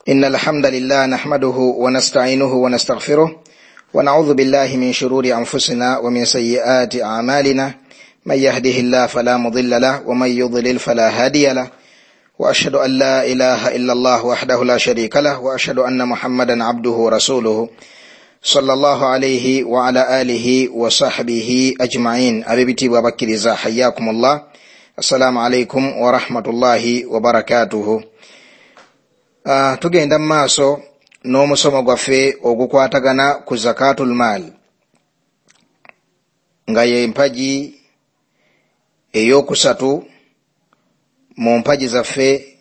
إن الحمد لله نحمده ونستعينه ونستغفره ونعوذ بالله من شرور أنفسنا ومن سيئات أعمالنا، من يهده الله فلا مضل له ومن يضلل فلا هادي له، وأشهد أن لا إله إلا الله وحده لا شريك له، وأشهد أن محمدا عبده ورسوله صلى الله عليه وعلى آله وصحبه أجمعين. أبيبتي وبكرزا حياكم الله، السلام عليكم ورحمة الله وبركاته. Tugenda mu maaso n'omusomo gwaffe ogukwatagana ku zakatul maal, nga y'empagi eyokusatu mu mpagi zaffe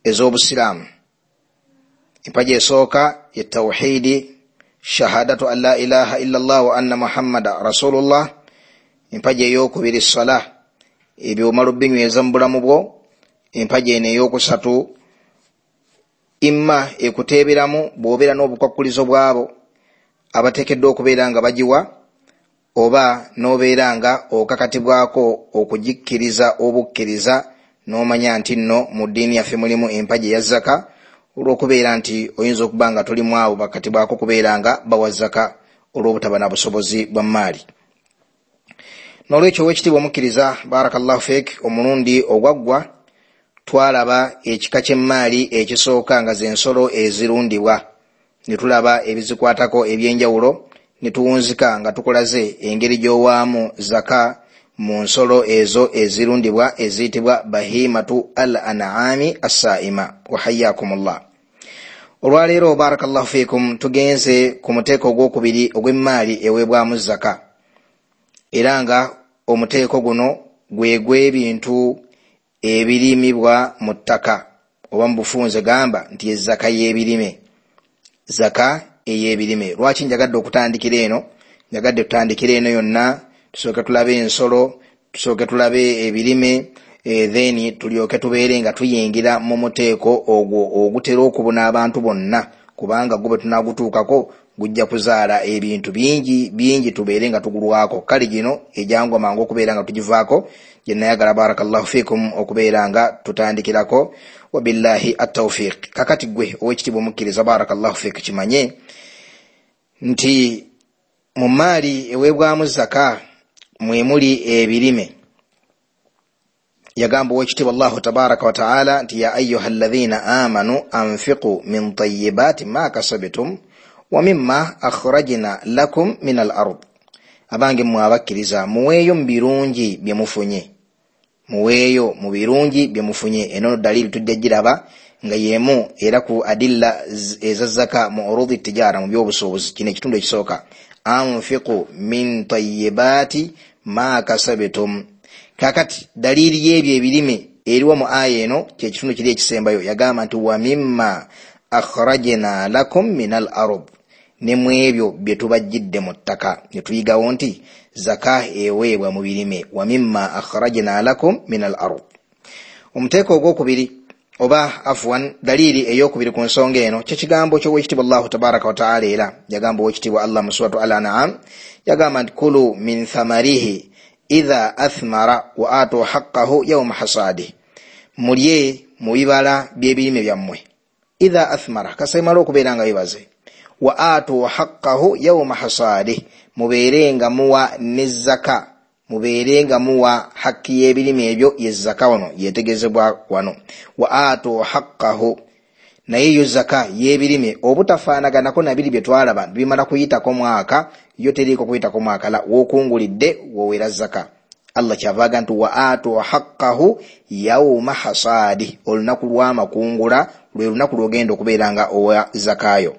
ez'obusiraamu. Empagi esooka ye tawhidi, shahadatu an la ilaha illa Allah wa anna muhammada rasulullah. Empagi eyokubiri sala, ebyo omala obinyweza mu bulamu bwo. Empagi eno eyokusatu imma ekuteeberamu bw'obeera n'obukwakulizo bwabo abateekeddwa okubeera nga bagiwa, oba n'obeera nga okakatibwako okugikkiriza obukkiriza n'omanya nti nno mu ddiini yaffe mulimu empagi eya zaka, olw'okubeera nti oyinza okuba nga tolimu abo bakatibwako kubeera nga bawa zaka olw'obutaba na busobozi bwa mmaali. N'olwekyo ow'ekitiibwa omukkiriza, barakallahu fiik, omulundi ogwaggwa twalaba ekika ky'emmaali ekisooka nga z'ensolo ezirundibwa, ne tulaba ebizikwatako ebyenjawulo, ne tuwunzika nga tukulaze engeri gy'owaamu zaka mu nsolo ezo ezirundibwa eziyitibwa bahimatu al an'ami assaima. Wahayyakumullah. Olwaleero barakallahu fiikum tugenze ku muteeko ogwokubiri ogw'emmaali eweebwamu zaka, era nga omuteeko guno gwe gw'ebintu ebirimibwa mu ttaka, oba mu bufunze gamba nti ezaka y'ebirime, zaka ey'ebirime. Lwaki njagadde okutandikira eno? Njagadde tutandikira eno yonna, tusooke tulabe ensolo, tusooke tulabe ebirime, then tulyoke tubeere nga tuyingira mu muteeko ogwo ogutera okubuna abantu bonna, kubanga gwe tunagutuukako gujja kuzaala ebintu bingi bingi tubeere nga tugulwako. Kale gino ejangwa mangu okubeera nga tugivaako, gye nayagala barakallahu fiikum okubeera nga tutandikirako, wabillahi attawfiq. Kakati gwe ow'ekitiibwa omukkiriza barakallahu fiik, kimanye nti mu mmaali eweebwamu zaka mwe muli ebirime. Yagamba ow'ekitiibwa Allahu tabaraka wa taala nti ya ayuha alladhina amanu anfiqu min tayyibati ma kasabtum wa mimma akhrajna lakum min al ard. Abange mmwe abakkiriza, muweeyo mu birungi bye mufunye, muweeyo mu birungi bye mufunye. Eno dalili tujja giraba nga yemu era ku adilla eza zaka mu urudi tijara, mu by'obusuubuzi. Kino ekitundu ekisooka, anfiqu min tayyibati ma kasabtum. Kakati dalili y'ebyo ebirime eriwo mu aya eno kyekitundu kiri ekisembayo. Yagamba nti wa mimma akhrajna lakum min al ard, ne mu ebyo bye tubajjidde mu ttaka. Ne tuyigawo nti zaka eweebwa mu birime, wa mimma akhrajna lakum min al ard. Omuteeko ogwokubiri oba afwan dalili eyokubiri ku nsonga eno kyekigambo ky'owekitiibwa Allahu tabaraka wa taala. Era yagamba owekitiibwa Allah mu suratu Al-An'am, yagamba nti kulu min thamarihi idha athmara wa atu haqqahu yawma hasadihi, mulye mu bibala by'ebirime byammwe. Idha athmara, kasemala okubeera nga bibaze, wa atu haqqahu yawma hasadihi, mubeere nga muwa ne zaka, mubeere nga muwa hakki y'ebirime ebyo ye zaka. Wano yetegezebwa wano wa atu haqqahu, naye yo zaka y'ebirime obutafaanaganako na biri bye twalaba bimala kuyitako mwaka, yo teriiko kuyitako mwaka, la w'okungulidde wowera zaka. Allah kyavaaga nti wa atu haqqahu yawma hasadihi, olunaku lw'amakungula lwe lunaku lw'ogenda okubeera nga owa zakayo.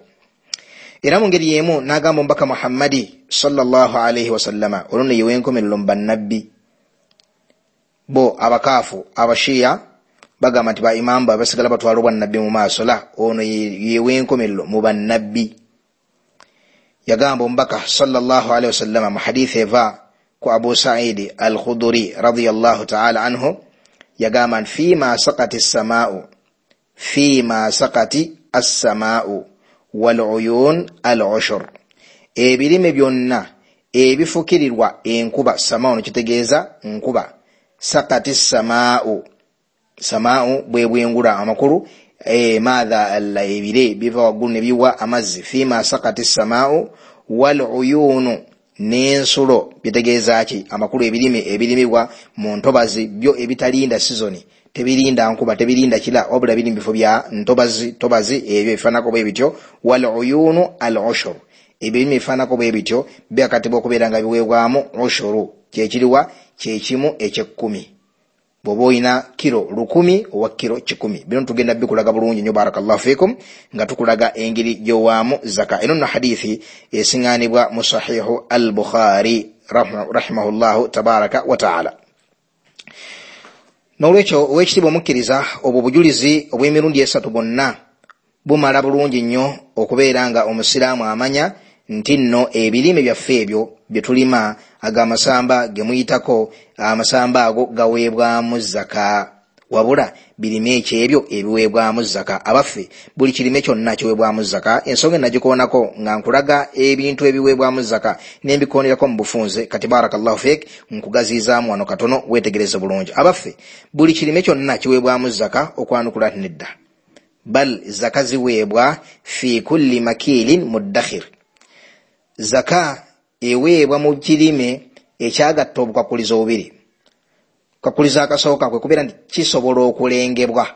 Era mu ngeri y'emu n'agamba omubaka Muhammadi sallallahu alaihi wasallama, olwo nno ye w'enkomerero mu bannabbi. Bo abakaafu abashiya bagamba nti ba imaamu basigala batwala obwannabbi mu maaso, la ono ye w'enkomerero mu bannabbi. Yagamba omubaka sallallahu alaihi wasallama mu hadithi eva ku Abu Sa'idi al-Khuduri radiyallahu ta'ala anhu, yagamba nti fima sakati as-samaa'u, fima sakati as-samaa'u wal-uyun al-ushur, ebirime byonna ebifukirirwa enkuba. Samaa'u no kitegeeza nkuba, sakati samaa'u, samaa'u bwe bwengula, amakulu Maatha ebire biva waggulu ne biwa amazzi. Fima sakati samaau wal uyunu, n'ensulo. Bitegeeza ki? Amakulu ebirime ebirimibwa mu ntobazi byo ebitalinda sizoni, tebirinda nkuba, tebirinda kira, wabula biri mu bifo bya ntobazi tobazi, ebyo ebifaananako bwe bityo. Wal uyunu al ushur, ebirime ebifaananako bwe bityo byakatibwa okubeera nga biweebwamu ushuru. Kyekiriwa? Kyekimu ekyekumi. Bw'oba olina kiro 1000 owa kiro 100. Bino tugenda bikulaga bulungi nnyo, barakallahu fikum, nga tukulaga engeri gy'owaamu zaka. Eno nno hadithi esiŋŋaanibwa mu Sahihu al-Bukhari rahimahullahu tabaraka wa taala. N'olwekyo ow'ekitiibwa omukkiriza, obwo bujulizi obw'emirundi esatu bwonna bumala bulungi nnyo okubeera nga omusiraamu amanya nti nno ebirime byaffe ebyo bye tulima, ag'amasamba ge muyitako, amasamba ago gaweebwamu zaka. Wabula birime eki ebyo ebiweebwamu zaka? Abaffe, buli kirime kyonna kiweebwamu zaka? Ensonga enagikoonako nga nkulaga ebintu ebiweebwamu zaka nembikonerako mu bufunze. Kati barakallahu fik, nkugaziizaamu wano katono weetegereze bulungi. Abaffe, buli kirime kyonna kiweebwamu zaka? Okwanukula nti nedda. Bal zaka ziweebwa fi kulli makilin muddakhir. Zaka eweebwa mu kirime ekyagatta obukwakulizo bubiri. Kakkulizo akasooka kwe kubeera nti kisobola okulengebwa,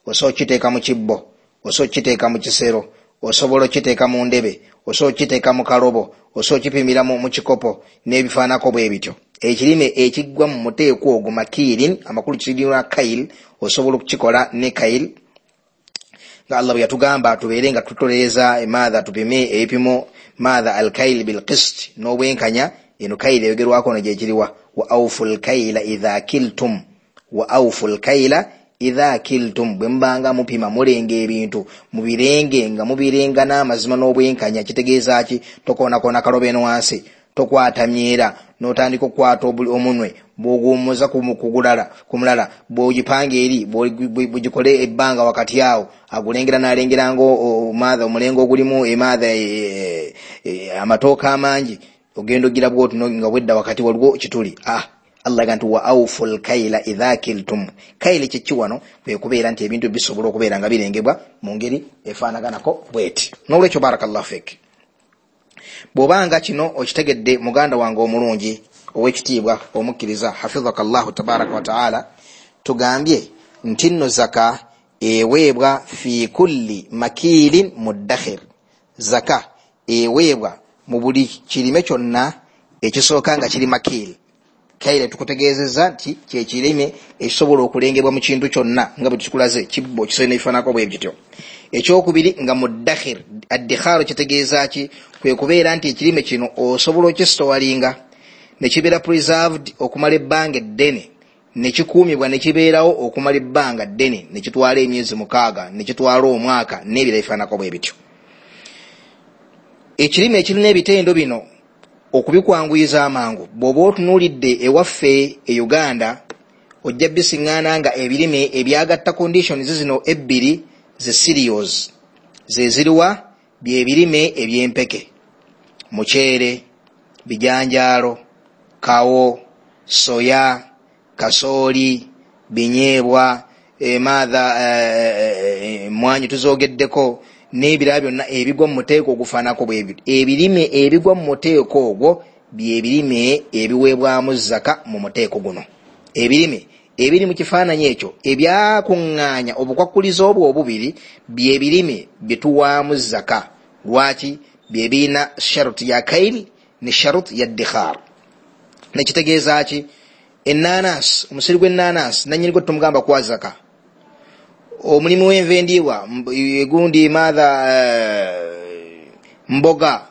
osobola okukiteeka mu kibbo, osobola okukiteeka mu kisero, osobola okukiteeka mu ndebe, osobola okukiteeka mu kalobo, osobola okukipimira mu kikopo n'ebifaanako bwe bityo. Ekirime ekiggwa mu muteeko ogwo makiirin, amakulu kirina kail, osobola okukikola ne kail, nga Allah bwe yatugamba tubeere nga tutolereza emaatha, tupime ebipimo maatha alkail bilqist, n'obwenkanya. Eno kaila eyogerwako no gyekiriwa, wa aufu lkaila idha kiltum, wa aufu lkaila idha kiltum. Bwe mubanga mupima mulenga ebintu, mubirenge nga mubirenga n'amazima n'obwenkanya. Kitegeeza ki? Tokoonakona kalobo eno wansi, tokwata myera n'otandika okukwata omunwe bw'oguwummuza ku mulala, bw'ogipanga eri bw'ogikole ebbanga wakati awo, agulengera n'alengera nga maatha omulengo ogulimu emaatha amatooka amangi, ogenda ogira bwoti nga bwedda wakati waliwo kituli. Allah aga nti wa aufu lkaila idha kiltum. Kaila kyeki wano? Kwe kubeera nti ebintu bisobola okubeera nga birengebwa mu ngeri efaanaganako bweti. N'olwekyo barakallahu fik, bw'obanga kino okitegedde muganda wange omulungi ow'ekitiibwa omukkiriza, hafidhaka llahu tabaraka wataala, tugambye nti nno zaka eweebwa fi kulli makiilin muddakhir. Zaka eweebwa mu buli kirime kyonna ekisooka nga kiri makiili. Kaire tukutegeezezza nti kyekirime ekisobola okulengebwa mu kintu kyonna nga bwe tukikulaze, kibbo, kisero n'ebifaananako bwe bityo. Ekyokubiri nga muddakhir. Addikhaaro kitegeeza ki? Kwe kubeera nti ekirime kino osobola okisitowalinga ne kibeera preserved okumala ebbanga eddene, ne kikuumibwa ne kibeerawo okumala ebbanga ddene, ne kitwala emyezi 6, ne kitwala omwaka n'ebirala ebifaananako bwe bityo. Ekirime ekirina ebitendo bino okubikwanguyiza amangu, bw'oba otunuulidde ewaffe e Uganda ojja bisiŋŋaana nga ebirime ebyagatta conditions zino ebbiri ze cereals, ze ziriwa? Byebirime eby'empeke, muceere, bijanjaalo, kawo, soya, kasooli, binyeebwa, emaatha emmwanyi tuzoogeddeko n'ebirala byonna ebigwa mu muteeko ogufaanako bwe bityo. Ebirime ebigwa mu muteeko ogwo byebirime ebiweebwamu zaka mu muteeko guno. Ebirime ebiri mu kifaananyi ekyo ebyakuŋŋaanya obukwakulizo obwo obubiri byebirime bye tuwaamu zaka. Lwaki? Byebirina sharuti ya kail ne sharuti ya dikhar. Nekitegeeza ki? Ennaanasi, omusiri gw'ennaanasi nannyini gwe tumugamba kuwa zaka. Omulimu w'enva endiibwa egundi maatha mboga,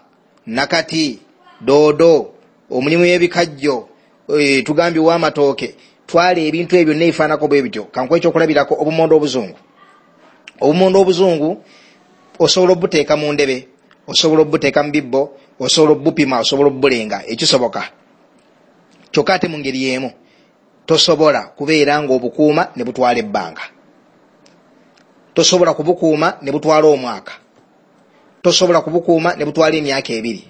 nakati, doodo, omulimu w'ebikajjo, tugambye ow'amatooke, twala ebintu ebyo n'ebifaananako bwe bityo. Kankuwe ekyokulabirako, obumondo obuzungu. Obumondo obuzungu osobola obuteeka mu ndebe, osobola obuteeka mu bibbo, osobola obupima, osobola obulenga, ekisoboka. Kyokka ate mu ngeri y'emu tosobola kubeera ng'obukuuma ne butwala ebbanga, tosobola kubukuuma ne butwala omwaka, tosobola kubukuuma ne butwala emyaka 2.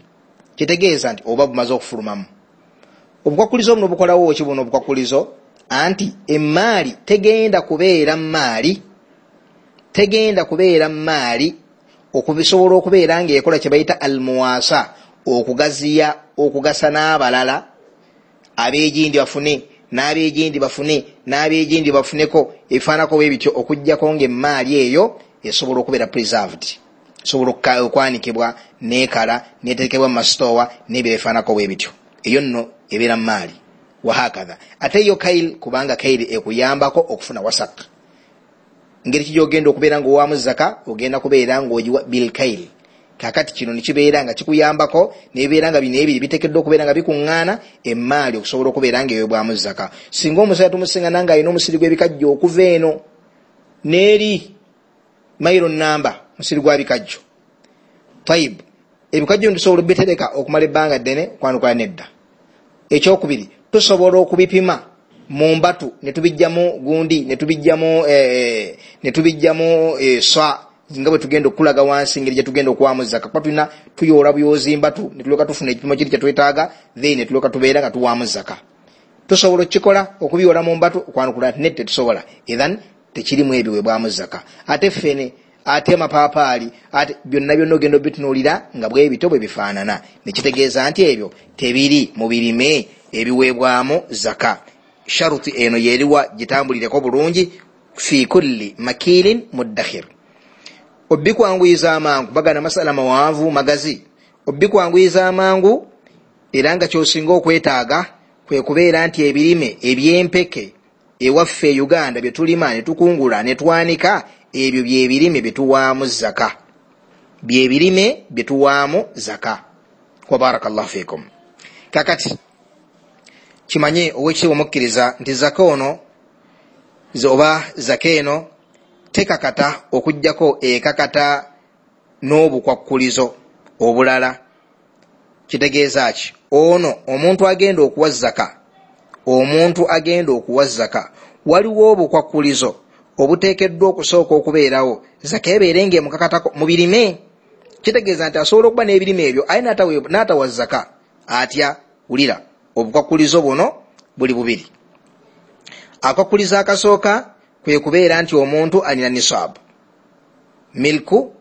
Kitegeeza nti oba bumaze okufulumamu. Obukwakulizo buno bukolawo ki buno obukwakulizo? Anti emmaali tegenda kubeera mmaali Tegenda kubeera maali okubisobola okubeera ng'ekola kye bayita almuwasa, okugaziya, okugasa n'abalala, ab'egindi bafune n'ab'egindi bafune n'ab'egindi bafuneko, ebifaanako bwe bityo, okuggyako ng'emmaali eyo esobola okubeera preserved, esobola okwanikibwa n'ekala n'eterekebwa mu masitoowa n'ebyo ebifaanako bwe bityo. Eyo nno ebeera maali. Wahakatha ate yo kail, kubanga kaili ekuyambako okufuna wasak. Ngeri ki gyogenda okubeera ng'owaamu zaka? Ogenda kubeera ng'ogiwa bilkail. Kakati kino nekibeera nga kikuyambako, nebibeera nga bino ebiri biteekeddwa okubeera nga bikuŋŋaana emmaali okusobola okubeera nga ewebwamu zaka. Singa omusajja tumusiŋŋana ng'alina omusiri gw'ebikajjo okuva eno n'eri mailo namba, musiri gwa bikajjo, tayib, ebikajjo tusobola obitereka okumala ebbanga ddene? Kwanukula nedda. Ekyokubiri, tusobola okubipima mu mbatu netubijjamu gundi, netubijjamu swa, nga bwe tugenda okulaga wansi ngeri gye tugenda okuwamu zaka, kuba tulina tuyoola buyozi mbatu netulyoka tufuna ekipimo kiri kyetwetaaga, then netulyoka tubeera nga tuwaamu zaka. Tusobola okukikola okubiyoola mu mbatu? Okwanukula nti nedda, tetusobola. Ethan tekirimu ebiweebwamu zaka. Ate ffene, ate amapaapaali, ate byonna byonna ogenda obitunuulira nga bwe bityo bwe bifaanana, nekitegeeza nti ebyo tebiri mu birime ebiweebwamu zaka. Sharuti eno yeriwa gitambulireko bulungi. Fi kulli makilin muddakhir, obikwanguyiza amangu, bagana masala mawanvu magazi, obikwanguyiza amangu, era nga kyosinga okwetaaga kwe kubeera nti ebirime ebyempeke ewaffe e Uganda bye tulima ne tukungula ne twanika, ebyo byebirime bye tuwaamu zaka, byebirime bye tuwaamu zaka. Wa barakallahu fikum. Kakati kimanye owekitiibwa omukkiriza nti zaka ono oba zaka eno tekakata okuggyako ekakata n'obukwakkulizo obulala. Kitegeeza ki? Ono omuntu agenda okuwa zaka, omuntu agenda okuwa zaka, waliwo obukwakkulizo obuteekeddwa okusooka okubeerawo zaka ebeere ng'emukakatako mu birime. Kitegeeza nti asobola okuba n'ebirime ebyo aye n'atawa zaka. Atya? Wulira, obukwakkulizo buno buli bubiri. Akakwakkulizo akasooka kwe kubeera nti omuntu alina nisaabu, milku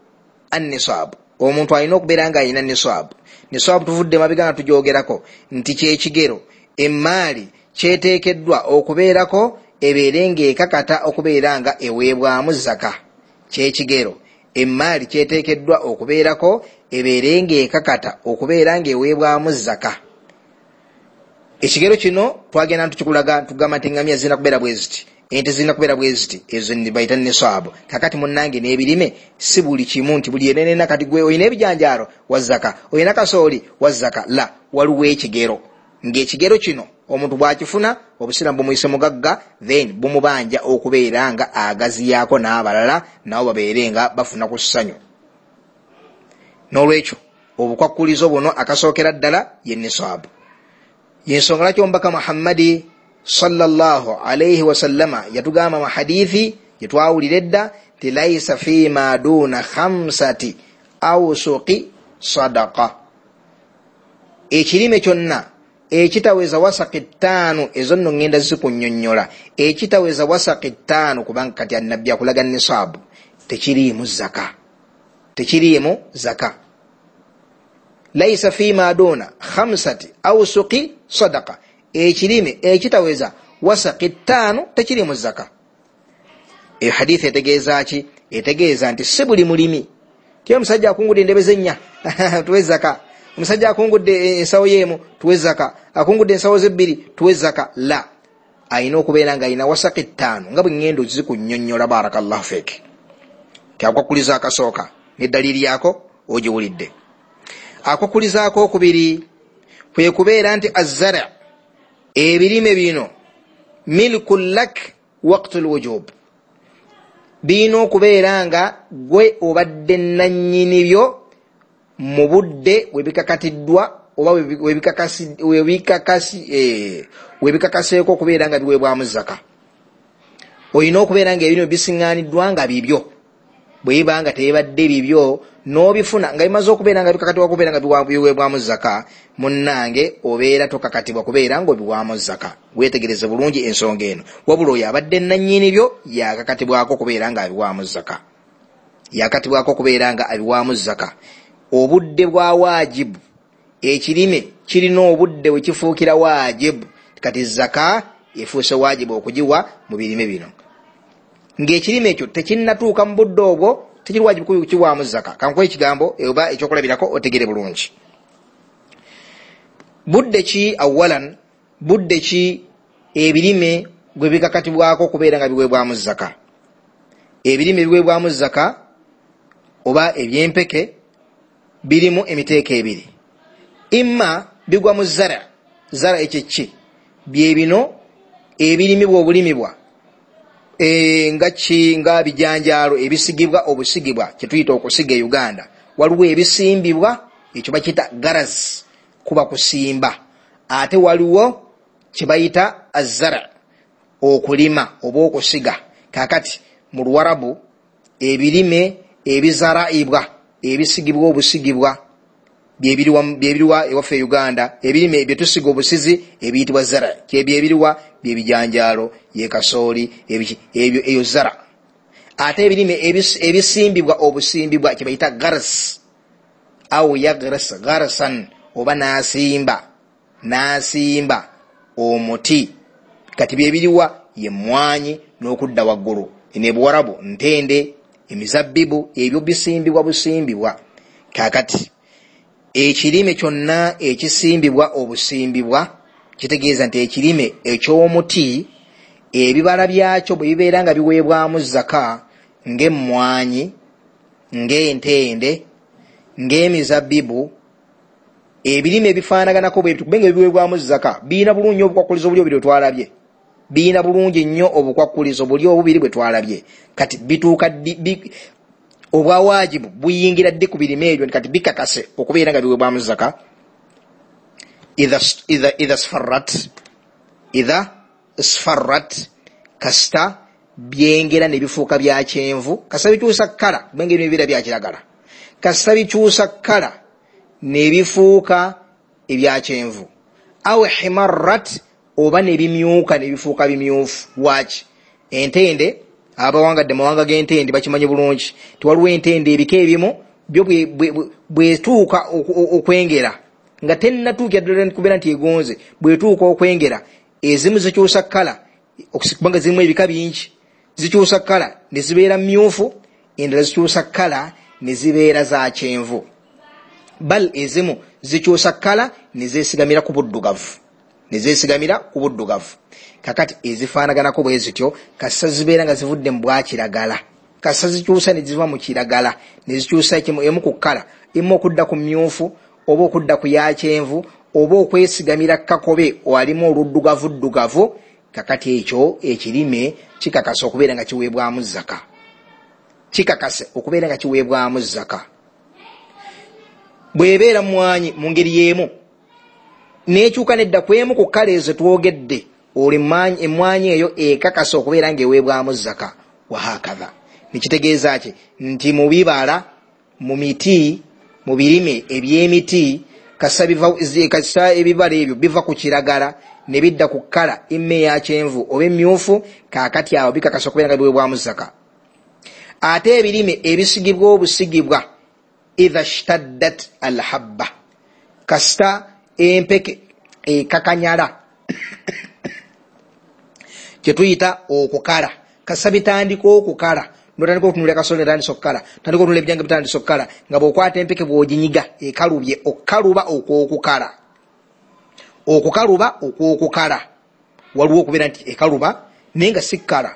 annisaabu. Omuntu alina okubeera nga alina nisaabu. Nisaabu tuvudde mabega nga tugyogerako nti kyekigero emmaali kyeteekeddwa okubeerako ebeere ng'ekakata okubeera nga eweebwamu zaka. Kyekigero emmaali kyeteekeddwa okubeerako ebeere ng'ekakata okubeera ng'eweebwamu zaka. Ekigero kino twagenda ntukikulaga, tugamba nti eŋŋamya zirina kubeera bwe ziti, ente zirina kubeera bwe ziti, ezo bayita nisaabu. Kakati munnange n'ebirime si buli kimu nti buli enenena kati gwe olina ebijanjaalo wa zaka, olina kasooli wa zaka. La, waliwo ekigero, ng'ekigero kino omuntu bw'akifuna obusiraamu bumuyise mugagga, then bumubanja okubeera nga agaziyaako n'abalala nabo babeere nga bafuna ku ssanyu. N'olwekyo obukwakkulizo buno akasookera ddala ye nisaabu. Yensonga lwaki omubaka Muhammadi sallallahu alayhi wasallama yatugamba mu hadithi gyetwawulira edda nti laisa fima duna 5 awsuqi sadaqa, ekirime kyonna ekitaweza wasaqi 5, ezo nno ŋŋenda zikunnyonnyola, ekitaweza wasaqi 5, kubanga kati annabbi akulaga nisaabu, tekiriimu zaka, tekiriimu zaka. Laisa fima duna 5 awsuqi sadaqa, ekirime ekitaweza wasaqi 5 tekiriimu zaka. Eyo hadithi etegeeza ki? Etegeeza nti si buli mulimi ti omusajja akungudde endebe z'ennya tuwe zaka, omusajja akungudde ensawo y'emu tuwe zaka, akungudde ensawo z'ebbiri tuwe zaka. La, alina okubeera nga alina wasaqi 5 nga bwe ŋŋenda ozikunnyonnyola. Barakallahu fiik. Kyakwakuliza akasooka n'eddaliiri yako ogiwulidde. Akwakulizaako okubiri kwe kubeera nti azzara, ebirime bino milku lak waqtu lwujub, birina okubeera nga gwe obadde nannyini byo mu budde we bikakatiddwa oba webikakaseeko okubeera nga biweebwamu zaka. Olina okubeera nga ebirime bisiŋŋaaniddwa nga bibyo. Bwe biba nga tebibadde bibyo n'obifuna nga bimaze okubeera nga bikakatibwa okubeera nga biweebwamu zaka, munnange obeera tokakatibwa kubeera ng'obiwaamu zaka. Weetegereze bulungi ensonga eno. Wabula oyo abadde nannyini byo yakakatibwako okubeera ng'abiwaamu zaka. Yakatibwako okubeera nga abiwaamu zaka. Obudde bwa waajibu, ekirime kirina obudde we kifuukira waajibu. Kati zaka efuuse waajibu okugiwa mu birime bino. Ng'ekirime ekyo tekinnatuuka mu budde obwo, tekiri waajibu kukiwaamu zaka. Kankuwe ekigambo oba ekyokulabirako otegere bulungi. Budde ki awalan, budde ki ebirime gwe bikakatibwako okubeera nga biweebwamu zaka? Ebirime biweebwamu zaka oba ebyempeke birimu emiteeko ebiri. Imma bigwa mu zara. Zara ekyo ki? Bye bino ebirimibwa obulimibwa, nga ki, nga bijanjaalo ebisigibwa obusigibwa, kye tuyita okusiga e Uganda. Waliwo ebisimbibwa, ekyo bakiyita garaz, kuba kusimba. Ate waliwo kye bayita azara, okulima oba okusiga. Kaakati mu Luwarabu ebirime ebizaraibwa, ebisigibwa obusigibwa, byebiriwa ewaffe e Uganda. Ebirime bye tusiga obusizi ebiyitibwa zara, kyebyebiriwa byebijanjaalo, ye kasooli, ebyo eyo zara. Ate ebirime ebisimbibwa obusimbibwa kye bayita gars, au yagras garsan, oba n'asimba, n'asimba omuti. Kati byebiriwa ye mmwanyi n'okudda waggulu ne Buwarabu, ntende, emizabbibu, ebyo bisimbibwa busimbibwa. Kaakati ekirime kyonna ekisimbibwa obusimbibwa kitegeeza nti ekirime eky'omuti ebibala byakyo bwe bibeera nga biweebwamu zaka, ng'emmwanyi, ng'entende, ng'emizabbibu, ebirime ebifaanaganako bwe bityo, kubanga ebiweebwamu zaka birina bulungi obukwakkulizo buli obubiri bwe twalabye. Birina bulungi nnyo obukwakkulizo buli obubiri bwe twalabye. Kati bituuka ddi, obwawaajibu buyingira ddi ku birime ebyo? Kati bikakase okubeera nga biweebwamu zaka idha sfarrat, idha sfarrat, kasita byengera ne bifuuka bya kyenvu, kasita bikyusa kkala, kubanga ebirime bibeera bya kiragala, kasita bikyusa kkala ne bifuuka ebya kyenvu, aw himarrat, oba ne bimyuka ne bifuuka bimyufu. Lwaki? Entende, abawangadde mawanga g'entende bakimanyi bulungi nti waliwo entende ebika ebimu byo bwetuuka okwengera nga tennatuukira ddala kubeera nti egonze, bwetuuka okwengera ezimu zikyusa kkala, kubanga zirimu ebika bingi, zikyusa kkala ne zibeera myufu, endala zikyusa kkala ne zibeera za kyenvu, bal ezimu zikyusa kkala ne zeesigamira ku buddugavu, ne zeesigamira ku buddugavu. Kakati ezifaanaganako bwe zityo kasita zibeera nga zivudde mu bwakiragala, kasita zikyusa ne ziva mu kiragala ne zikyusa emu ku kkala, emu okudda ku myufu oba okudda ku ya kyenvu oba okwesigamira kakobe alimu oluddugavuddugavu. Kakati ekyo ekirime kikakasa okubeera nga kiweebwamu zaka, kikakase okubeera nga kiweebwamu zaka. Bw'ebeera mmwanyi mu ngeri y'emu n'ekyuka nedda ku emu ku kkala ezo twogedde, olwo emmwanyi eyo ekakasa okubeera ng'eweebwamu zaka. Wahakadha, nekitegeeza ki? Nti mu bibala, mu miti, mu birime eby'emiti, kasita ebibala ebyo biva ku kiragala ne bidda ku kkala emme eya kyenvu oba emyufu, kaakati awo bikakasa okubeera nga biweebwamu zaka. Ate ebirime ebisigibwa obusigibwa, idha shtaddat alhabba, kasita empeke ekakanyala, kye tuyita okukala, kasita bitandika okukala, notandika okutunulira kasooli netandisa okukala, tandika okutunulira ebijanga bitandisa okukala, nga bw'okwata empeke bw'oginyiga ekalubye, okukaluba okw'okukala, okukaluba okw'okukala. Waliwo okubeera nti ekaluba naye nga si kkala,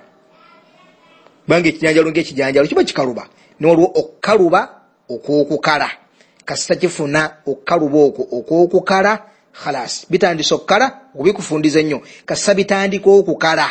kubanga ekijanjalo ng'ekijanjalo kiba kikaluba, ne waliwo okukaluba okw'okukala. Kasita kifuna okukaluba okwo okw'okukala, khalas bitandisa okukala, okubikufundiza ennyo. Kasita bitandika okukala,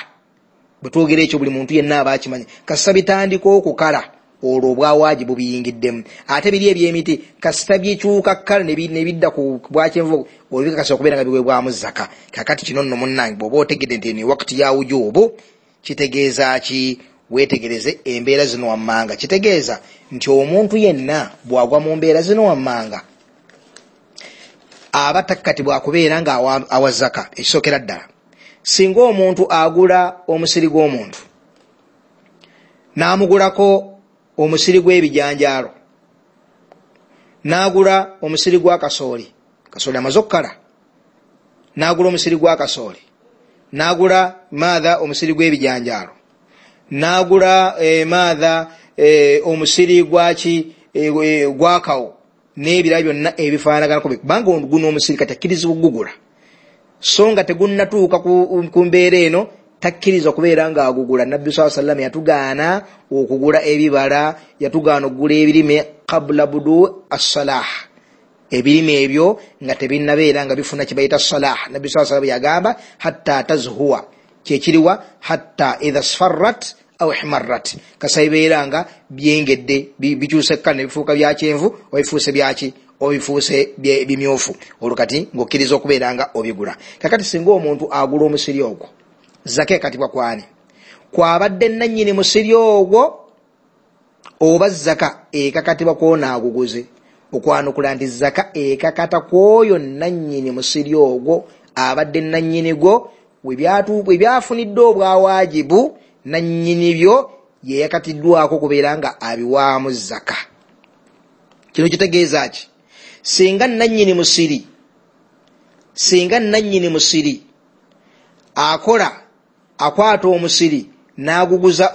bwe twogera ekyo buli muntu yenna aba akimanyi, kasita bitandika okukala olwo obwawaaji bubiyingiddemu. Ate biri eby'emiti kasita bikyuka kkala ne bidda ku bwakyenvu, olwo bikakasa okubeera nga biweebwamu zaka. Kakati kino nno munnange bw'oba otegedde nti eno wakati ya wujubu, kitegeeza ki? Weetegereze embeera zino wammanga. Kitegeeza nti omuntu yenna bw'agwa mu mbeera zino wammanga aba takkatibwa kubeera nga awa zaka. Ekisookera ddala, singa omuntu agula omusiri gw'omuntu n'amugulako omusiri gw'ebijanjaalo, n'agula omusiri gwa kasooli, kasooli amaze okukala, n'agula omusiri gwa kasooli, n'agula maatha omusiri gw'ebijanjaalo, n'agula maatha omusiri gwaki gwakawo n'ebirala byonna ebifaanaganako, kubanga guno omusiri kati akkirizibwa okugugula, so nga tegunnatuuka ku mbeera eno takkiriza okubeera ng'agugula. Nabbi sallallahu alaihi wasallam yatugaana okugula ebibala, yatugaana okugula ebirime qabla budu as-salah, ebirime ebyo nga tebinnabeera nga bifuna kye bayita salah. Nabbi sallallahu alaihi wasallam yagamba hatta tazhuwa, kyekiriwa hatta idha sfarrat aw ihmarrat, kasayibeera nga byengedde bikyuse kkala ne bifuuka bya kyenvu oba bifuuse byaki oba bifuuse bimyufu, olwo kati ng'okkiriza okubeera nga obigula. Kakati singa omuntu agula omusiri ogwo, zaka ekatibwa kwani? Kwabadde nannyini musiri ogwo oba zaka ekakatibwa kwona aguguze? Okwanukula nti zaka ekakata kwoyo nannyini musiri ogwo abadde nannyini gwo, we byafunidde obwawajibu nannyini byo ye yakatiddwako kubeera nga abiwaamu zaka. Kino kitegeeza ki? Singa nannyini musiri akola akwata omusiri n'aguguza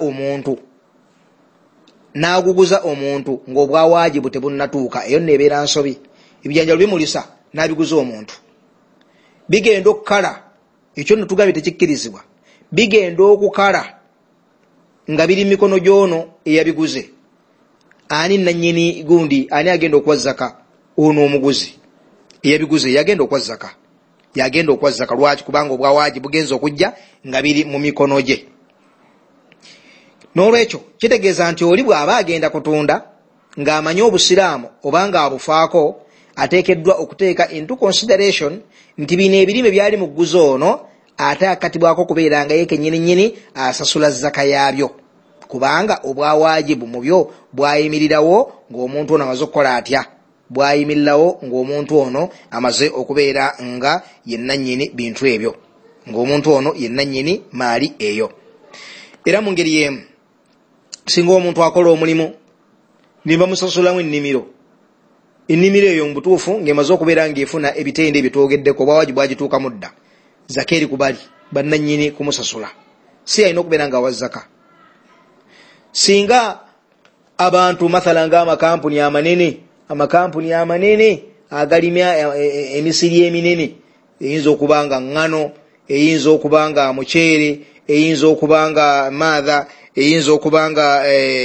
omuntu ng'obwawajibu tebunnatuuka, eyo nno ebeera nsobi. Ebijanjalo bimulisa n'abiguza omuntu, bigenda okukala, ekyo nno tugambye tekikkirizibwa, bigenda okukala nga biri mikono gy'ono eyabiguze. Ani nannyini gundi, ani agenda okuwa zaka? Ono omuguzi eyabiguze yagenda okuwa zaka, yagenda okuwa zaka. Lwaki? Kubanga obwawajibu bugenza okujja nga biri mu mikono gye. N'olwekyo kitegeeza nti oli bw'aba agenda kutunda ng'amanyi obusiraamu oba ng'abufaako, ateekeddwa okuteeka into consideration nti bino ebirime byali mu gguzi ono ate akatibwako okubeera nga ye kennyini nnyini asasula zaka yaabyo, kubanga obwawajibu mu byo bwayimirirawo ng'omuntu ono amaze okukola atya, bwayimirirawo ng'omuntu ono amaze okubeera nga ye nannyini bintu ebyo, ng'omuntu ono ye nannyini maali eyo. Era mu ngeri y'emu singa omuntu akola omulimu ne bamusasulamu ennimiro, ennimiro eyo mu butuufu ng'emaze okubeera ng'efuna ebitende ebyo twogeddeko, obwawajibu bwagituukamu dda, zaka eri kubali bannannyini kumusasula, si alina okubeera ng'awa zaka. Singa abantu mathala ng'amakampuni amanene agalima emisiri eminene, eyinza okuba nga ŋŋano, eyinza okuba nga muceere, eyinza okuba nga maatha, eyinza okuba nga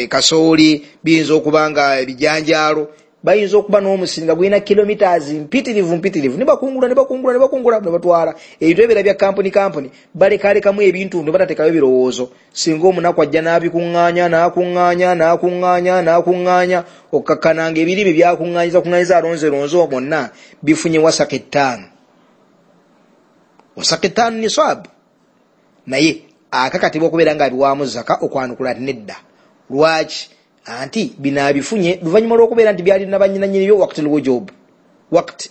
kasooli, biyinza okuba nga ebijanjaalo, bayinza okuba n'omusiri nga gulina kilometers mpitirivu ne bakungula ne batwala ebintu ebira bya kampuni, balekalekamu ebintu ne batateekayo birowoozo. Singa omunaku ajja n'abikuŋŋaanya n'akuŋŋaanya okkakkana nga ebirime byakuŋŋaanyiza alonzeronze bonna bifunye wasaka 5, wasaka 5 nisaabu, naye akakatibwa okubeera nga abiwaamu zaka. Okwanukula nti nedda. Lwaki? Anti bino abifunye luvannyuma lw'okubeera nti byalina bannyinannyini byo waqti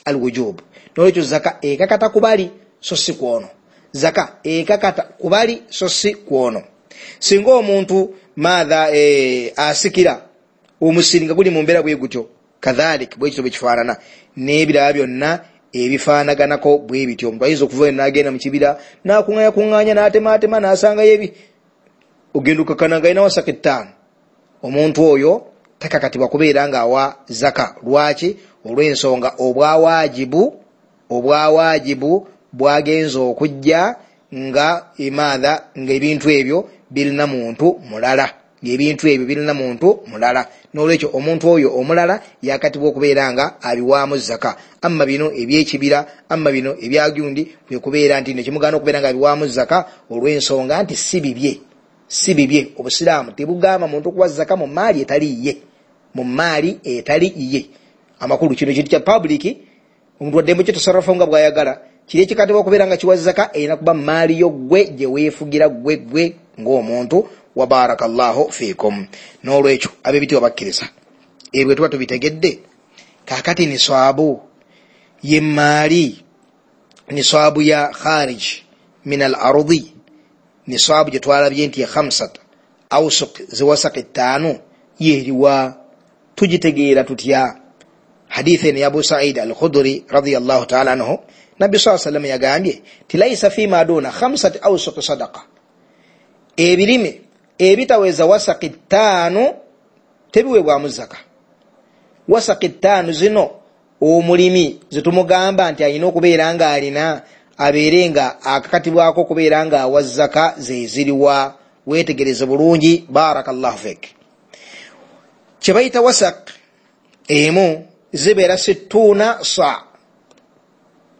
al-wujub. N'olwekyo zaka ekakata kubali so si kwono, zaka ekakata kubali so si kwono. Singa omuntu maatha asikira omusiri nga guli mu mbeera bwe gutyo, kadhalik bwe kityo bwe kifaanana n'ebirala byonna ebifaanaganako bwe bityo. Omuntu ayinza okuva n'agenda mu kibira n'akuŋŋaanya n'atemaatema n'asangayo ebi, ogenda okkakkana nga alina wasaka 5. Omuntu oyo takakatibwa kubeera ng'awa zaka. Lwaki? Olw'ensonga obwawajibu bwagenza okujja nga emaatha ng'ebintu ebyo birina muntu mulala, N'olwekyo omuntu oyo omulala yakatibwa okubeera nga abiwaamu zaka. Amma bino ebyekibira, amma bino ebyagundi, kwe kubeera nti nekimugaana okubeera nga abiwaamu zaka olw'ensonga nti si bibye. Obusiraamu tebugamba muntu kuwa zaka mu maali etali yiye, Amakulu kino kintu kya public, omuntu waddembe kyetasarrafa nga bw'ayagala, kiri ekikatibwa okubeera nga kiwa zaka erina kuba maali yo ggwe gye weefugira ggwe ng'omuntu. Wa barakallahu fiikum. N'olwekyo ab'ebitiibwa bakkiriza, ebyo tuba tubitegedde. Kaakati niswabu ye maali, niswabu ya kharij min al ardi, niswabu gye twalabye nti ye 5 awsuq ziwasaq 5, Yeriwa? Tugitegeera tutya? Hadithi eno ya Abu Said al Khudri radiyallahu taala anhu, Nabbi saa sallam yagambye ti laisa fima duna khamsati awsuqi sadaqa, ebirime ebitaweza wasaki 5 tebiweebwamu zaka. Wasaki 5 zino omulimi zetumugamba nti alina okubeera nga alina, abeere nga akakatibwako okubeera nga awa zaka, zeziriwa? Wetegereze bulungi, barakallahu fik. Kyebayita wasak emu zibeera 60 sa,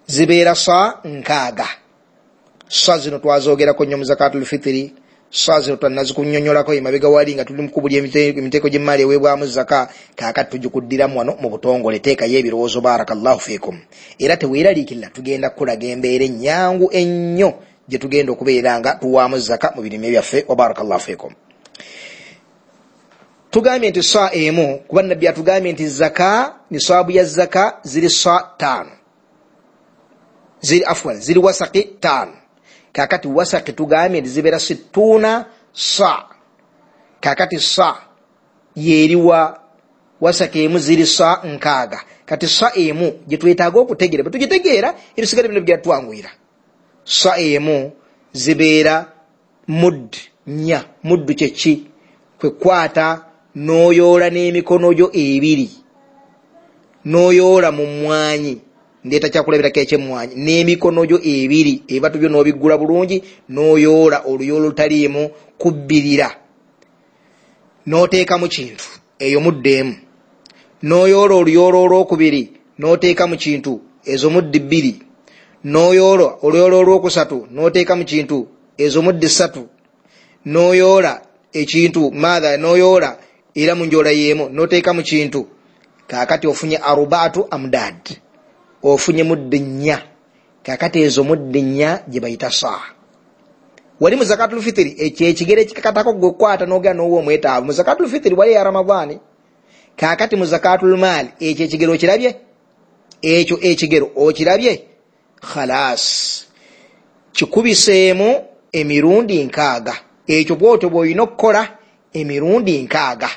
zibeera sa 60. Sa zino twazogerako nnyo mu zakatul fitiri, sa zino twanazikunyonyolako emabega wali nga tuli mukubuli emiteeko gy'emmaali eweebwamu zaka. Kaakati tugikuddiramu wano mu butongole, teekayo ebirowoozo, barakallahu fikum. Era teweeraliikirira, tugenda kukulaga embeera ennyangu ennyo gye tugenda okubeera nga tuwaamu zaka mu birime byaffe, wa barakallahu fikum. Tugambye nti sa emu, kuba Nabbi atugambye nti zaka, nisaabu ya zaka ziri sa 5, ziri afwan, ziri wasaki 5. Kakati wasaki tugambye nti zibeera 60 sa. Kakati sa yeriwa? Wasaki emu ziri sa 60. Kati sa emu gye twetaaga okutegeera, bwe tugitegeera ebisigala bino bijja twanguyira. Sa emu zibeera mudd 4. Muddu kyeki? Kwekwata n'oyoola n'emikono gyo ebiri, n'oyoola mu mmwanyi, ndeeta kyakulabirako ekyemmwanyi, n'emikono gyo ebiri, ebibatu byo n'obiggula bulungi, n'oyoola oluyoola olutaliimu kubbirira, n'oteekamu kintu, eyo muddu emu. N'oyoola oluyoola olwokubiri, n'oteeka mu kintu, ezo muddu 2. N'oyoola oluyoola olwokusatu, n'oteeka mu kintu, ezo muddu 3. N'oyoola ekintu maatha, n'oyoola era mu njoola y'emu, n'oteeka mu kintu. Kaakati ofunye 4 amdad, ofunye muddu 4. Kaakati ezo muddu 4 gye bayita saa. Wali mu zakatul fitiri ekyo ekigere ekikakatako gwe kwata n'ogenda n'owa omwetaavu mu zakatul fitiri wali ya Ramadhaani. Kaakati mu zakatul maali ekyo ekigero okirabye, ekyo ekigero okirabye, khalas, kikubiseemu emirundi 60. Ekyo bw'otyo bw'olina okukola emirundi 60,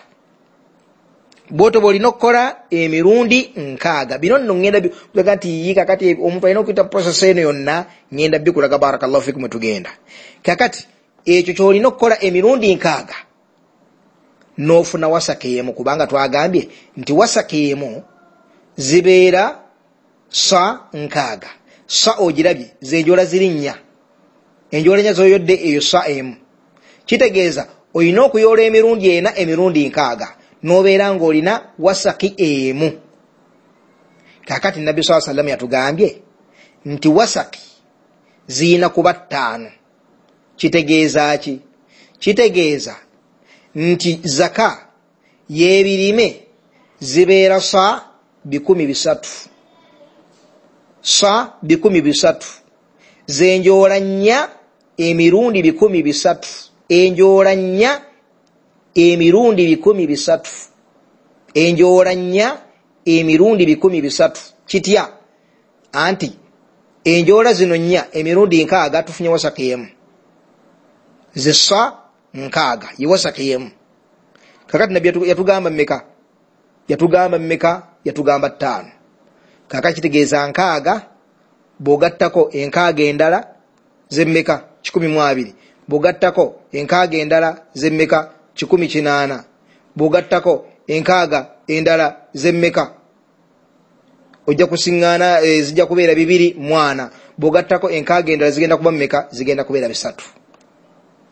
bw'otyo bw'olina okukola emirundi 60. Bino nno ŋŋenda kulaga nti yi kakati omuntu alina okuyita process eno yonna, ŋŋenda bikulaga, barakallahu fikum, tugenda. Kakati ekyo ky'olina okukola emirundi 60 n'ofuna wasaka emu, kubanga twagambye nti wasaka emu zibeera sa 60. Sa ogirabye zenjola ziri 4, enjola 4 z'oyodde, eyo sa emu. Kitegeeza olina okuyoola emirundi 4 emirundi 60, n'obeera ng'olina wasaki emu. Kaakati Nabbi saa sallam yatugambye nti wasaki ziyina kuba 5. Kitegeeza ki? Kitegeeza nti zaka y'ebirime zibeera sa 300, sa 300, zenjoola 4 emirundi 300, enjoola 4 emirundi 300, enjoola 4 emirundi 300. Kitya? Anti enjoola zino 4 emirundi 60 tufunye wasaki emu, zisa 60 ye wasaki emu. Kakati Nabbi yatugamba mmeka? Yatugamba mmeka? Yatugamba 5. Kakati kitegeeza 60 bw'ogattako 60 endala zemmeka? 120. Bw'ogattako 60 endala zemmeka? 180. Bw'ogattako 60 endala zemmeka? Ojja kusiŋŋaana zijja kubeera 240. Bw'ogattako 60 endala zigenda kuba mmeka? Zigenda kubeera 300,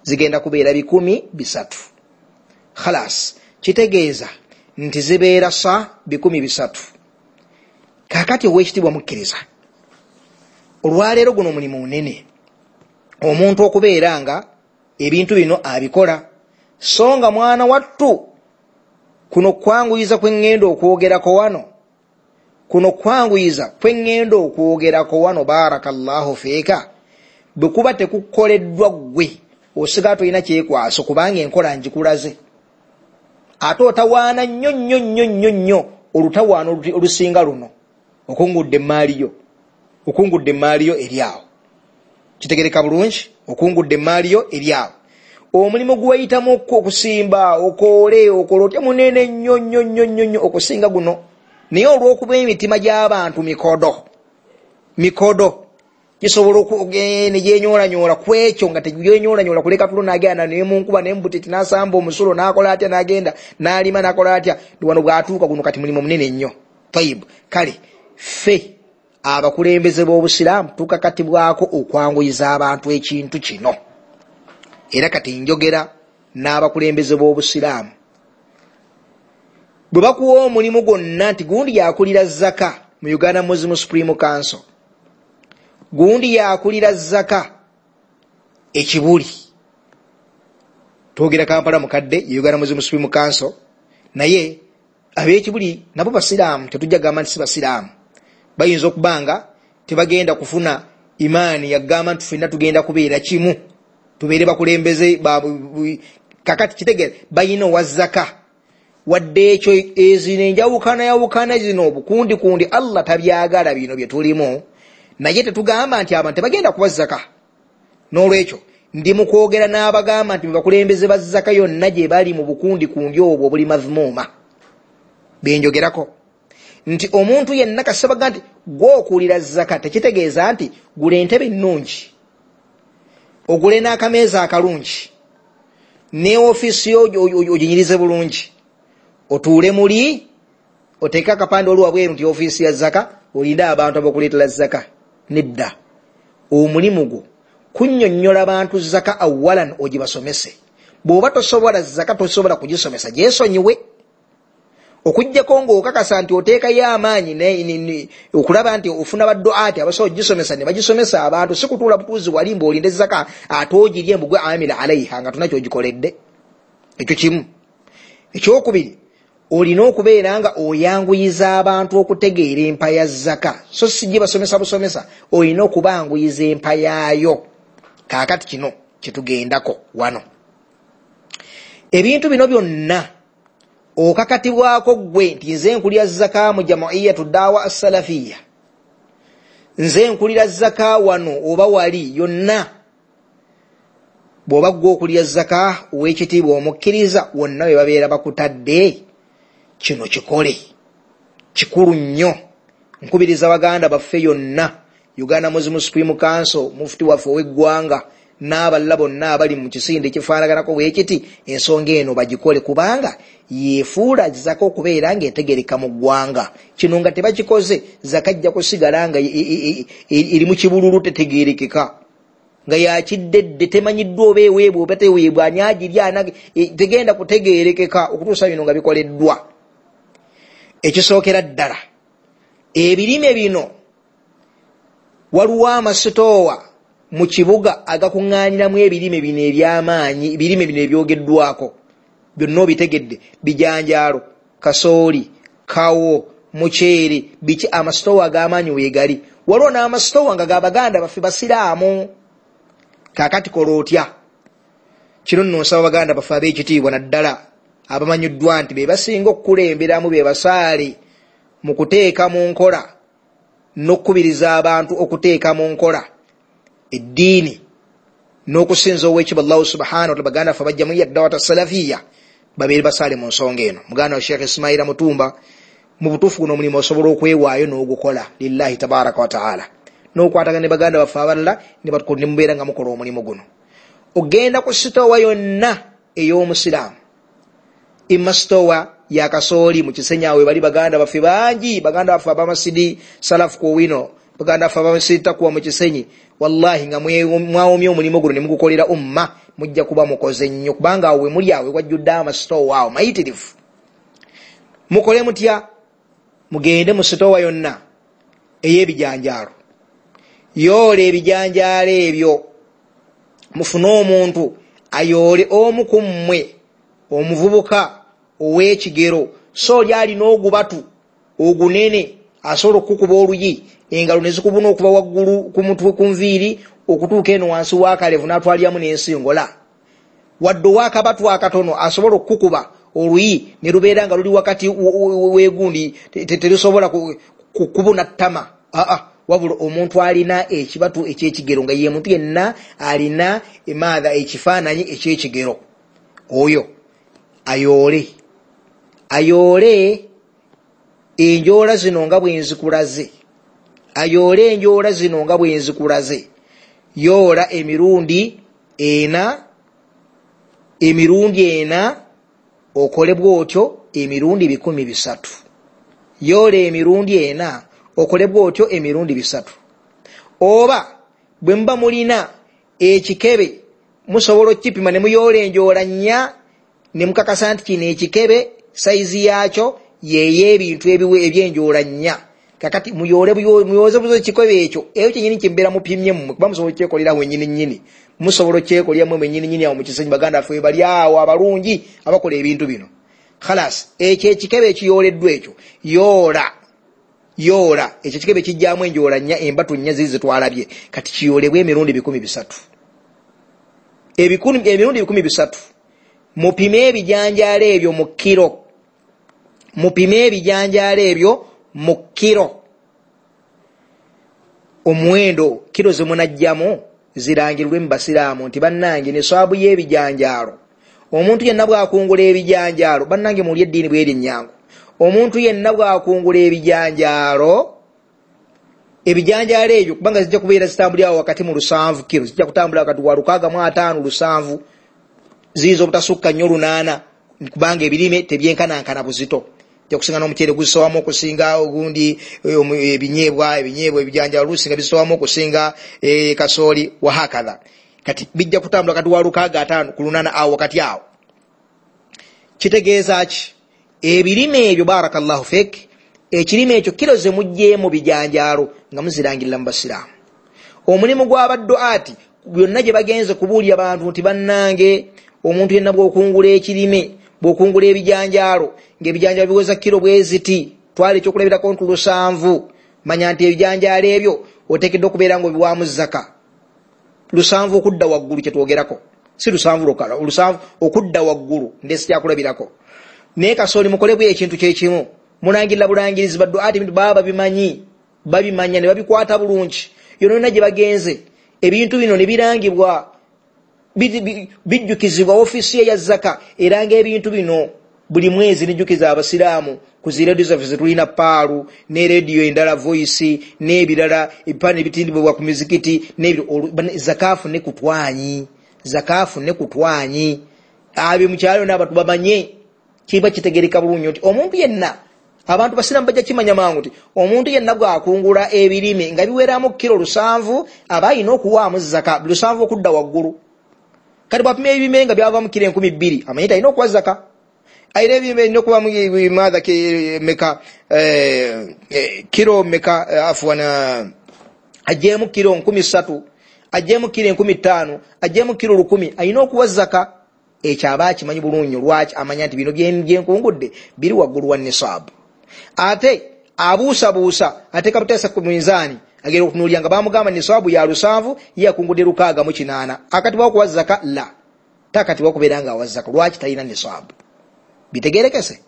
zigenda kubeera 300. Khalas, kitegeeza nti zibeera sa 300. Kaakati ow'ekitiibwa mukkiriza, olwaleero guno omulimu munene omuntu okubeera nga ebintu bino abikola, so nga mwana wattu kuno kwanguyiza kwe ŋŋenda okwogerako wano, kuno kwanguyiza kwe ŋŋenda okwogerako wano, barakallahu fiika, bwe kuba tekukoleddwa ggwe osigala tolina kyekwaso, kubanga enkola njikulaze. Ate otawaana nnyo nnyo nnyo nnyo nnyo olutawaana olusinga luno, okungudde emmaali yo, okungudde emmaali yo eri awo. Kitegereka bulungi? Okungudde emmaali yo eri awo. Omulimu gweyitamu okusimba, okoole, okola otya, munene nnyo nnyo nnyo nnyo nnyo okusinga guno. Naye olw'okuba emitima gy'abantu mikodo mikodo, gisobola negyenyoolanyola ku ekyo, nga tegyenyolanyola kuleka tulo, nagenda nemunkuba nembutiti, nasamba omusulo, nakola atya, nagenda nalima, nakola atya. Wano bwatuuka guno kati mulimu munene nnyo. Tayib, kale ffe abakulembeze b'obusiraamu tukakatibwako okwanguyiza abantu ekintu kino. Era kati njogera n'abakulembeze b'obusiraamu, bwe bakuwa omulimu gwonna nti gundi yakulira zaka mu Uganda Muslim Supreme Council, gundi yakulira zaka ekibuli, twogera Kampala mukadde Uganda Muslim Supreme Council, naye ab'ekibuli nabo basiraamu, tetujja gamba nti si basiraamu. Bayinza okubanga tebagenda kufuna imaani yagamba nti ffenna tugenda kubeera kimu, tubeere bakulembeze. Kakati kitegeera bayina owa zaka, wadde ekyo ezino enjawukana yawukana zino obukundi kundi Allah tabyagala bino bye tulimu, naye tetugamba nti abantu tebagenda kuba zaka. N'olwekyo ndi mu kwogera n'abagamba nti bakulembeze ba zaka yonna gye bali mu bukundi kundi obwo obuli madhmuuma, benjogerako nti omuntu yenna kasabaga nti gw'okulira zaka, tekitegeeza nti gula entebe ennungi, ogule n'akameeza akalungi, ne ofiisi yo oginyirize bulungi, otuule muli, oteeke akapande oli wabweru nti ofiisi ya zaka, olinde abantu abakuleetera zaka. Nedda, omulimu gwo kunnyonnyola bantu zaka awalan, ogibasomese. Bw'oba tosobola zaka, tosobola kugisomesa, gyesonyiwe, okuggyako ng'okakasa nti oteekayo amaanyi okulaba nti ofuna badduaati abasobola ogisomesa ne bagisomesa abantu, si kutuula butuuzi wali mbu olinde zaka ate ogirye mbu gwe amila alaiha nga tona kyogikoledde. Ekyo kimu. Ekyokubiri, olina okubeera nga oyanguyiza abantu okutegeera empa ya zaka, so si gibasomesa busomesa, olina okubanguyiza empa yaayo. Kaakati kino kyetugendako wano, ebintu bino byonna okakatibwako ggwe nti nze nkulira zaka mu Jamaiyatu Dawa Assalafiya, nze nkulira zaka wano oba wali yonna. Bw'oba ggwe okulira zaka ow'ekitiibwa omukkiriza, wonna we babeera bakutadde, kino kikole, kikulu nnyo. Nkubiriza baganda baffe yonna, Uganda Muslim Supreme Council, mufuti waffe ow'eggwanga n'abalala bonna abali mu kisinde ekifaanaganako bwekiti, ensonga eno bagikole, kubanga yeefuula zaka okubeera ng'etegereka mu ggwanga. Kino nga tebakikoze, zaka ajja kusigala nga eri mu kibululu, tetegerekeka, nga yakiddedde, temanyiddwa oba eweebwa oba teweebwa, ani agirya, tegenda kutegerekeka okutuusa bino nga bikoleddwa. Ekisookera ddala, ebirime bino waliwo amasitoowa mu kibuga agakuŋŋaaniramu ebirime bino eby'amaanyi, ebirime bino ebyogeddwako byonna obitegedde, bijanjaalo, kasooli, kawo, muceere, biki, amasitoowa ag'amaanyi weegali. Waliwo n'amasitoowa nga g'abaganda baffe basiraamu. Kaakati kola otya? Kino nno nsaba baganda baffe ab'ekitiibwa, naddala abamanyiddwa nti be basinga okukulemberamu, be basaale mu kuteeka mu nkola n'okukubiriza abantu okuteeka mu nkola eddiini n'okusinza ow'ekitiibwa Allahu subhanahu wa ta'ala. Baganda baffe bajja mu Dawata Salafiya babeere basaale mu nsonga eno. Muganda wa Sheikh Ismaila Mutumba, mu butuufu guno omulimu osobola okwewaayo n'ogukola lillahi tabaraka wa ta'ala, n'okwatagana ne baganda baffe abalala ne mubeera nga mukola omulimu guno. Ogenda ku sitoowa yonna ey'omusiraamu, imma sitoowa ya kasooli mu Kisenyi, awo bali baganda baffe bangi, baganda baffe abamasidi Salafu Kowino, baganda baffe abamasidi Takuwa mu Kisenyi, wallahi nga mwawomye omulimu guno ne mugukolera umma, mujja kuba mukoze nnyo, kubanga awo we muli awo wajjudde amasitoowa awo mayitirivu. Mukole mutya? Mugende mu sitoowa yonna ey'ebijanjaalo, yoola ebijanjaalo ebyo, mufune omuntu ayoole omu ku mmwe, omuvubuka ow'ekigero, so oli alina ogubatu ogunene asobola okukuba oluyi, engalo ne zikubuna okuva waggulu ku mutwe ku nviiri okutuuka eno wansi w'akalevu, n'atwaliramu n'ensingola. Wadde ow'akabatu akatono asobola okukuba oluyi ne lubeera nga luli wakati weegundi, terusobola kukubuna ttama. Aa, Wabula omuntu alina ekibatu ekyekigero, nga ye muntu yenna alina emaatha ekifaananyi ekyekigero, oyo ayoole ayoole enjoola zino nga bwenzikulaze, ayoole enjoola zino nga bwenzikulaze. Yoola emirundi ena, emirundi ena, okole bwotyo emirundi 300. Yoola emirundi ena, okole bwotyo emirundi 300. Oba bwe muba mulina ekikebe musobola okukipima ne muyoola enjoola 4, ne mukakasa nti kino ekikebe sayizi yakyo yey'ebintu ebyenjoola 4. Kakati muyoole muyoze buzo ekikebe ekyo, eyo kyennyini kyembeera mupimye mmwe, kuba musobola okyekolera wennyini nnyini, musobola okyekolera mmwe mwennyini nnyini awo mu Kisenyi. Baganda baffe bali awo abalungi abakola ebintu bino. Khalas, ekyo ekikebe ekiyooleddwa ekyo yoola yoola ekyo ekikebe kijjamu enjoola 4, embatu 4 ziri zetwalabye. Kati kiyoolebwe emirundi 300, emirundi 300. Mupime ebijanjaalo ebyo mu kiro, mupime ebijanjaalo ebyo mu kiro. Omuwendo kiro ze munajjamu zirangirwe mu basiraamu nti bannange nisaabu y'ebijanjaalo. Omuntu yenna bw'akungula ebijanjaalo, bannange muli eddiini bweri ennyangu. Omuntu yenna bw'akungula ebijanjaalo, ebijanjaalo ebyo kubanga zijja kubeera zitambulira awo wakati mu 7 kiro, zijja kutambula wakati wa 65 7, ziyinza obutasukka nnyo 8, kubanga ebirime tebyenkanankana buzito. Okusinga n'omuceere gusowamu okusinga ogundi, ebinyeebwa ebijanjaalo lusinga bisowamu okusinga kasooli, wahakadha. Kati bijja kutambula kati wa 65 ku 8 awo wakati awo. Kitegeeza ki? Ebirime ebyo, barakallahu fik, ekirime ekyo kiro ze muggyemu bijanjaalo nga muzirangirira mu basiraamu. Omulimu gw'abadduati byonna gye bagenze kubuulira bantu nti bannange, omuntu yenna bw'okungula ekirime, bw'okungula ebijanjaalo, ng'ebijanjaalo biweza kiro bweziti, twala ekyokulabirako nti 7, manya nti ebijanjaalo ebyo oteekeddwa okubeera ng'obiwaamu zaka. 7 okudda waggulu kyetwogerako, si 7 lwokka, 7 okudda waggulu ndesi kyakulabirako. Naye kasooli mukolebwe ekintu kyekimu, mulangirira bulangirizi, badduati ebintu baba babimanyi, babimanya ne babikwata bulungi. Yonna gye bagenze ebintu bino ne birangibwa, bijjukizibwa ofiisi ye ya zaka eranga ebintu bino buli mwezi, nejjukiza abasiraamu ku zi rediyo zaffe zetulina, Paalu ne rediyo endala, Voice n'ebirala, ebipaani ebitindibwa ku mizikiti zakaafu ne kutwanyi, zakaafu ne kutwanyi. Abyo mu kyalo n'abantu bamanye, kiba kitegereka bulungi nti omuntu yenna, abantu basiraamu bajja kimanya mangu nti omuntu yenna bw'akungula ebirime nga biweramu kiro 7, aba alina okuwaamu zaka 7 okudda waggulu. Kati bw'apima ebirime nga byavamu kiro 2000, amanyi nti alina okuwa zaka. Alina ebirime alina okubamu maatha meka, kiro meka, afuwana aggyemu kiro 3000, aggyemu kiro 5000, aggyemu kiro 1000, alina okuwa zaka. Ekyo aba akimanyi bulungi. Lwaki? Amanya nti bino byenkungudde biri waggulu wa nisaabu. Ate abuusabuusa, ateeka buteesa ku minzaani, agenda okutunuulira nga bamugamba nisaabu ya 7, ye akungudde 608, akatibwa okuwa zaka? La, takatibwa okubeera nga awa zaka. Lwaki? Talina nisaabu. Bitegerekese.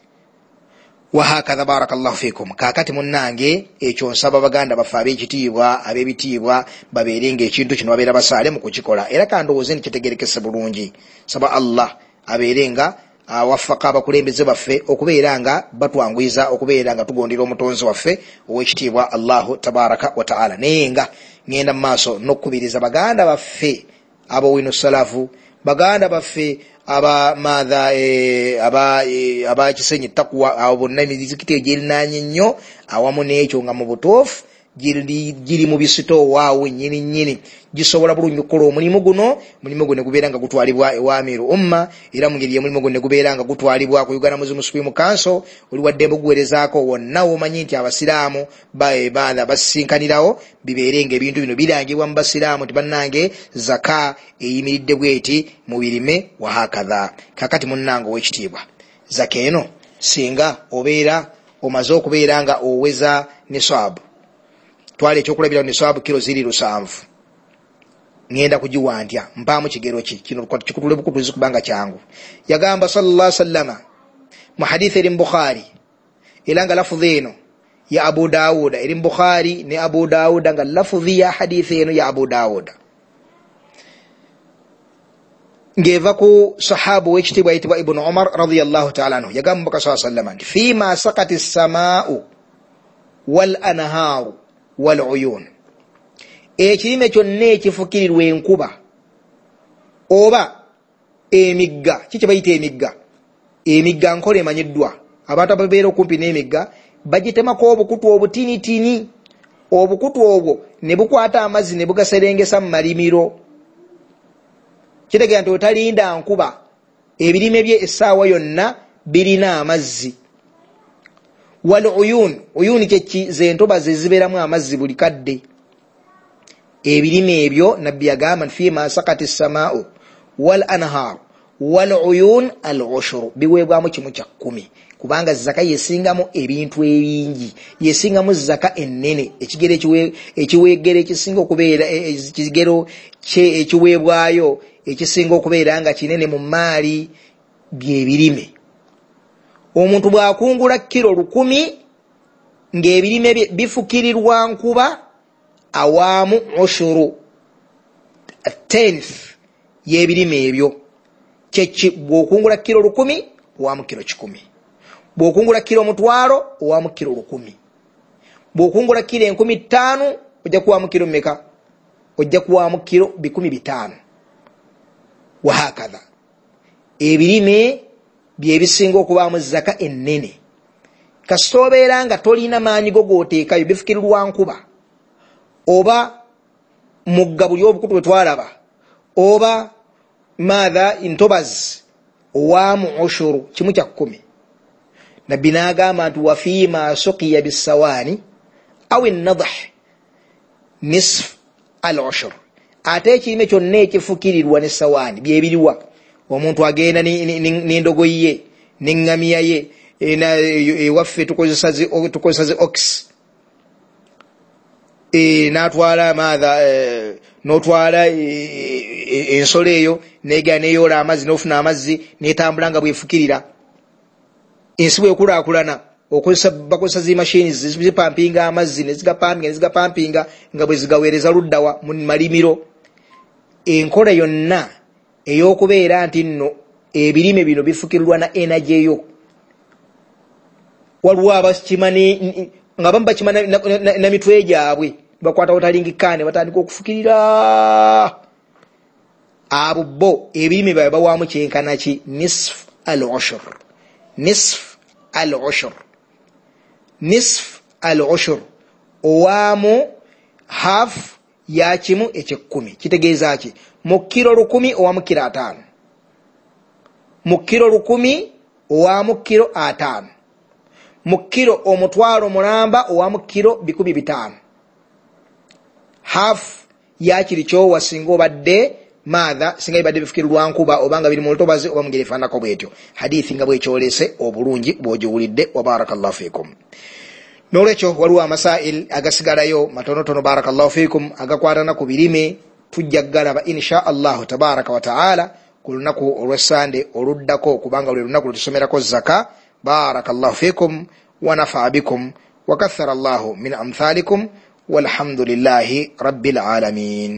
Wahakadha, barakallahu fikum. Kaakati munnange, ekyo nsaba baganda baffe ab'ekitiibwa, ab'ebitiibwa babeere ng'ekintu kino babeera basaale mu kukikola, era kandowooze nti kitegerekese bulungi. Saba Allah abeere nga awafaka abakulembeze baffe okubeera nga batwanguyiza okubeera nga tugondera omutonzi waffe ow'ekitiibwa Allahu tabaraka wa taala. Naye nga ngenda mu maaso n'okukubiriza baganda baffe ab'owino salafu, baganda baffe aba maatha aba Kisenyi Takuwa, abo bonna emizikiti egyerinaanye nnyo awamu n'ekyo nga mu butuufu giri mu bisitoowa awo nnyini nnyini, gisobola bulungi okukola omulimu guno. Omulimu guno ne gubeera nga gutwalibwa ewa Amiru Umma, era mu ngeri y'omulimu guno ne gubeera nga gutwalibwa ku Uganda Muslim Supreme Council. Oli waddembe oguweerezaako wonna w'omanyi nti abasiraamu baana basisinkanirawo, bibeere ng'ebintu bino birangibwa mu basiraamu nti bannange zaka eyimiridde bweti mu birime, wahakadha. Kakati munnange ow'ekitiibwa, zaka eno singa obeera omaze okubeera nga oweza nisaabu, twala ekyokulabirako nisaabu kiro ziri 7, ngenda kugiwa ntya? Mpaamu kigero ki? Kino kikutule bukutuzi kubanga kyangu. Yagamba sallallahu alaihi wasallama mu hadithi eri mu Bukhari, era nga lafudhi eno Ya Abu Dawuda eri mu Bukhari ne Abu Dawuda, nga lafudhi ya hadithi eno ya Abu Dawuda ng'eva ku sahaba ow'ekitiibwa ayitibwa Ibunu Umar radiyallahu taala anhu. Yagamba Mubaka saa sallama nti fima sakati samaau wal anhaaru wal uyun, ekirime kyonna ekifukirirwa enkuba oba emigga. Ki kye bayita emigga? Emigga nkola emanyiddwa, abantu ababeera okumpi n'emigga bagitemako obukutu obutinitini, obukutu obwo ne bukwata amazzi ne bugaserengesa mu malimiro. Kitegeera nti otalinda nkuba, ebirime bye essaawa yonna birina amazzi. Wal uyun, uyun kyeki? Zentobazi ezibeeramu amazzi buli kadde. Ebirime ebyo Nabbi yagamba nti fima sakati samaau wal anhaaru wal uyun al ushuru, biweebwamu 1/10, kubanga zaka yesingamu ebintu ebingi, yesingamu zaka ennene. Ekigero ekiweegero ekisinga okubeera ekigero ekiweebwayo ekisinga okubeera nga kinene mu maali byebirime. Omuntu bw'akungula kiro 1000 ng'ebirime bye bifukirirwa nkuba, awaamu ushuru, 10th y'ebirime ebyo. Kyeki? Bw'okungula kiro 1000 owaamu kiro 100, bw'okungula kiro 500 owaamu kiro 1000, bw'okungula kiro 5000 ojja kuwaamu kiro mmeka? Ojja kuwaamu kiro 500. Wahakadha ebirime byebisinga okubaamu zaka ennene. Kasita obeera nga tolina maanyi go gooteekayo, bifukirirwa nkuba oba mugga buli obukutu bwe twalaba oba maatha ntobazi, owaamu ushuru, 1/10. Nabbi n'agamba nti wafiima suqiya bisawaani aw ennadah nisf al ushur, ate ekirime kyonna ekifukirirwa ne sawaani byebiriwa. Omuntu agenda n'endogoyi ye n'eŋŋamiya ye, ewaffe tukozesa zi ox, n'atwala maatha, n'otwala ensolo eyo negera neyoola amazzi n'ofuna amazzi netambula nga bwefukirira. Ensi bwekulaakulana bakozesa zi mashini zipampinga amazzi nezigapampinga nezigapampinga nga bwe zigaweereza luddawa mu malimiro. Enkola yonna ey'okubeera nti nno ebirime bino bifukirirwa na energy eyo, waliwo abakima nga bamu bakima na mitwe gyabwe, bakwata otalingikane batandika okufukirira. Abo bo ebirime byabwe bawaamu kyenkana ki? Nisf al ushur, nisf al ushur, nisf al ushur, owaamu half ya 1/10. Kitegeeza ki? Mu kiro 1000 owaamu kiro 5, mu kiro 1000 owaamu kiro 5, mu kiro 500,000 owaamu kiro 500. Half ya kiri kyowa singa obadde maatha, singa bibadde bifukirirwa nkuba obanga biri mu lutobazi oba mu ngeri efaananako bwetyo. Hadithi nga bwekyolese obulungi bw'ogiwulidde. Wa barakallahu fiikum. N'olwekyo waliwo amasail agasigalayo matonotono, barakallahu fiikum, agakwatana ku birime. Tujja galaba insha Allahu tabaraka wa taala ku lunaku olw'essande oluddako, kubanga lwe lunaku lwetusomerako zaka. Barakallahu fiikum wa nafaa bikum wa kathara Allahu min amthalikum walhamdulillahi rabbil alamin.